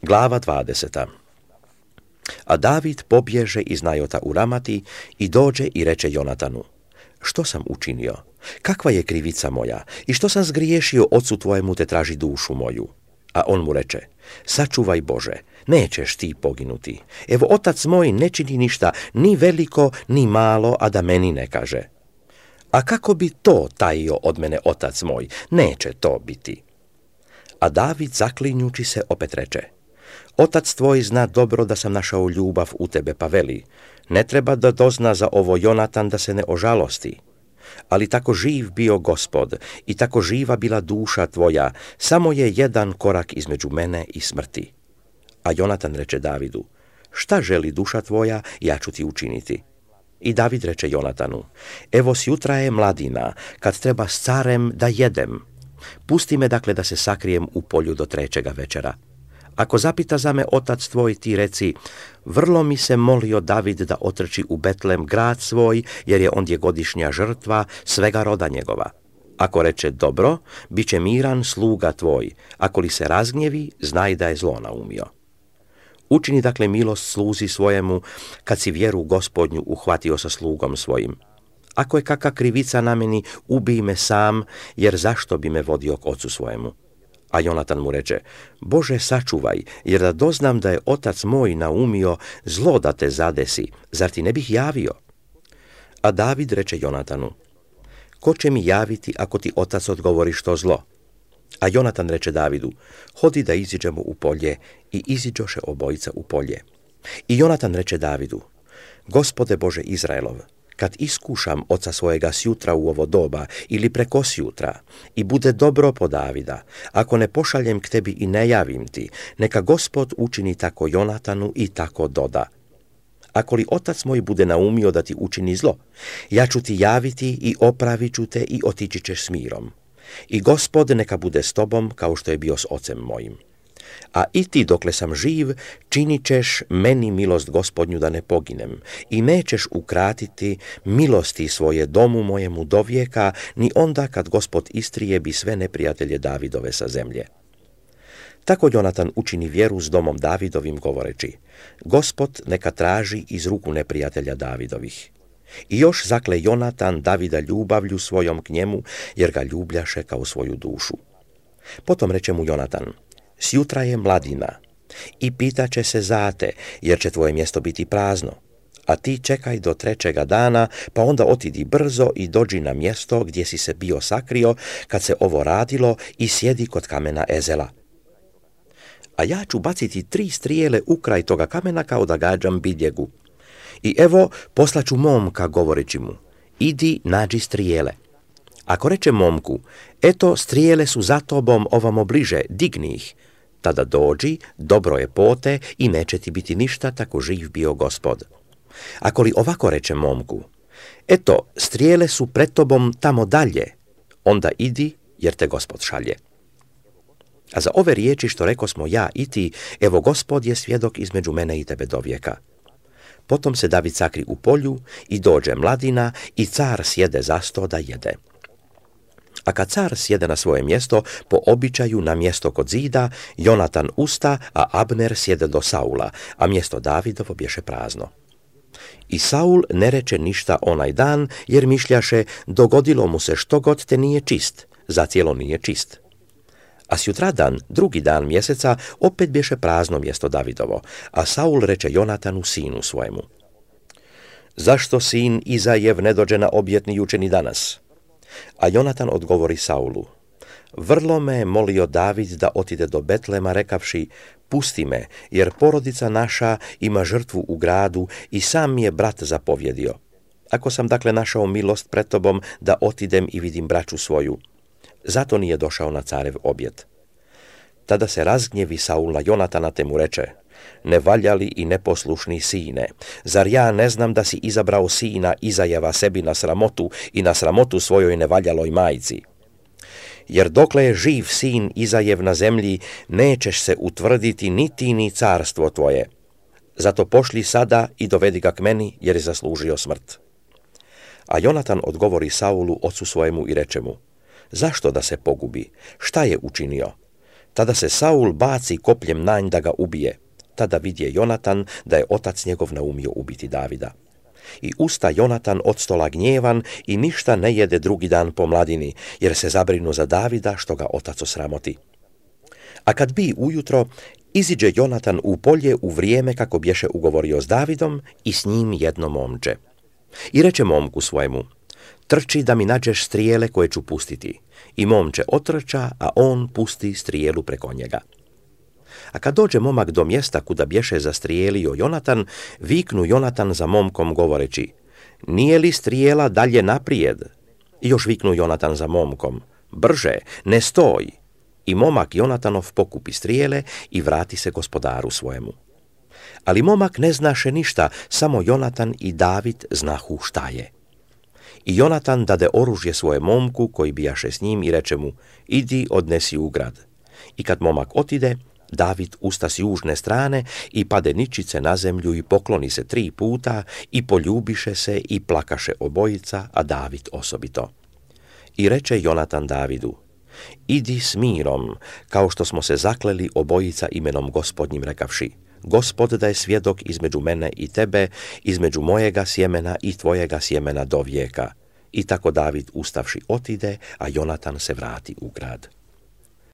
Glava 20. A David pobježe iz Najota u Ramati i dođe i reče Jonatanu: Što sam učinio? Kakva je krivica moja? I što sam zgriješio ocu tvojemu te traži dušu moju? A on mu reče: Sačuvaj Bože, nećeš ti poginuti. Evo, otac moj ne čini ništa, ni veliko, ni malo, a da meni ne kaže. A kako bi to tajio od mene otac moj? Neće to biti. A David, zaklinjući se, opet reče: Otac tvoj zna dobro da sam našao ljubav u tebe, pa veli: Ne treba da dozna za ovo Jonatan da se ne ožalosti. Ali tako živ bio Gospod i tako živa bila duša tvoja, samo je jedan korak između mene i smrti. A Jonatan reče Davidu: Šta želi duša tvoja, ja ću ti učiniti. I David reče Jonatanu: Evo, sjutra je mladina, kad treba s carem da jedem. Pusti me dakle da se sakrijem u polju do 3. večera. Ako zapita za me otac tvoj, ti reci: Vrlo mi se molio David da otrči u Betlem, grad svoj, jer je ondje godišnja žrtva svega roda njegova. Ako reče: Dobro, bit će miran sluga tvoj. Ako li se razgnjevi, znaj da je zlo naumio. Učini dakle milost sluzi svojemu, kad si vjeru Gospodnju uhvatio sa slugom svojim. Ako je kakva krivica na meni, ubij me sam, jer zašto bi me vodio k ocu svojemu? A Jonatan mu reče: Bože, sačuvaj, jer da doznam da je otac moj naumio zlo da te zadesi, zar ti ne bih javio? A David reče Jonatanu: Ko će mi javiti ako ti otac odgovori što zlo? A Jonatan reče Davidu: Hodi da iziđemo u polje. I iziđoše obojica u polje. I Jonatan reče Davidu: Gospode Bože Izraelov, kad iskušam oca svojega sjutra u ovo doba ili preko sjutra i bude dobro po Davida, ako ne pošaljem k tebi i ne javim ti, neka Gospod učini tako Jonatanu i tako doda. Ako li otac moj bude naumio da ti učini zlo, ja ću ti javiti i opravit ću te i otići ćeš s mirom. I Gospod neka bude s tobom kao što je bio s ocem mojim. A i ti, dokle sam živ, činit ćeš meni milost Gospodnju da ne poginem i nećeš ukratiti milosti svoje domu mojemu do vijeka, ni onda kad Gospod istrijebi sve neprijatelje Davidove sa zemlje. Tako Jonatan učini vjeru s domom Davidovim, govoreći: Gospod neka traži iz ruku neprijatelja Davidovih. I još zakle Jonatan Davida ljubavlju svojom k njemu, jer ga ljubljaše kao svoju dušu. Potom reče mu Jonatan: Sjutra je mladina i pitaće se za te, jer će tvoje mjesto biti prazno. A ti čekaj do 3. dana, pa onda otidi brzo i dođi na mjesto gdje si se bio sakrio kad se ovo radilo i sjedi kod kamena Ezela. A ja ću baciti 3 strijele u kraj toga kamena kao da gađam biljegu. I evo, poslaću momka, govoreći mu: Idi, nađi strijele. Ako reče momku: Eto, strijele su za tobom ovamo bliže, digni ih. Tada dođi, dobro je pote i neće ti biti ništa, tako živ bio Gospod. Ako li ovako reče momku: Eto, strijele su pred tobom tamo dalje, onda idi, jer te Gospod šalje. A za ove riječi što rekosmo ja i ti, evo Gospod je svjedok između mene i tebe do vijeka. Potom se David sakri u polju i dođe mladina i car sjede za sto da jede. A kad car sjede na svoje mjesto, po običaju na mjesto kod zida, Jonatan usta, a Abner sjede do Saula, a mjesto Davidovo bješe prazno. I Saul ne reče ništa onaj dan, jer mišljaše: dogodilo mu se što god te nije čist, zacijelo nije čist. A sjutradan, 2. dan mjeseca, opet bješe prazno mjesto Davidovo, a Saul reče Jonatanu, sinu svojemu: Zašto sin Izajev ne dođe na objetni jučeni danas? A Jonatan odgovori Saulu: Vrlo me je molio David da otide do Betlema, rekavši: Pusti me, jer porodica naša ima žrtvu u gradu i sam mi je brat zapovjedio. Ako sam dakle našao milost pred tobom da otidem i vidim braću svoju, zato nije došao na carev objet. Tada se razgnjevi Saul na Jonatana te mu reče: Nevaljali i neposlušni sine, zar ja ne znam da si izabrao sina Izajeva sebi na sramotu i na sramotu svojoj nevaljaloj majci? Jer dokle je živ sin Izajev na zemlji, nećeš se utvrditi niti ni carstvo tvoje. Zato pošli sada i dovedi ga k meni, jer je zaslužio smrt. A Jonatan odgovori Saulu, ocu svojemu, i reče mu: Zašto da se pogubi? Šta je učinio? Tada se Saul baci kopljem na nj da ga ubije. Tada vidje Jonatan da je otac njegov naumio ubiti Davida. I usta Jonatan od stola gnjevan i ništa ne jede drugi dan po mladini, jer se zabrinu za Davida što ga otac osramoti. A kad bi ujutro, iziđe Jonatan u polje u vrijeme kako bješe ugovorio s Davidom i s njim jedno momče. I reče momku svojemu: trči da mi nađeš strijele koje ću pustiti. I momče otrča, a on pusti strijelu preko njega. A kad dođe momak do mjesta kuda bješe zastrijelio Jonatan, viknu Jonatan za momkom govoreći: nije li strijela dalje naprijed? I još viknu Jonatan za momkom: brže, ne stoj! I momak Jonatanov pokupi strijele i vrati se gospodaru svojemu. Ali momak ne znaše ništa, samo Jonatan i David znahu šta je. I Jonatan dade oružje svoje momku koji bijaše s njim i reče mu: idi odnesi u grad. I kad momak otide, David usta s južne strane i pade ničice na zemlju i pokloni se 3 puta i poljubiše se i plakaše obojica, a David osobito. I reče Jonatan Davidu: idi s mirom, kao što smo se zakleli obojica imenom Gospodnjim rekavši: Gospod da je svjedok između mene i tebe, između mojega sjemena i tvojega sjemena do vijeka. I tako David ustavši otide, a Jonatan se vrati u grad.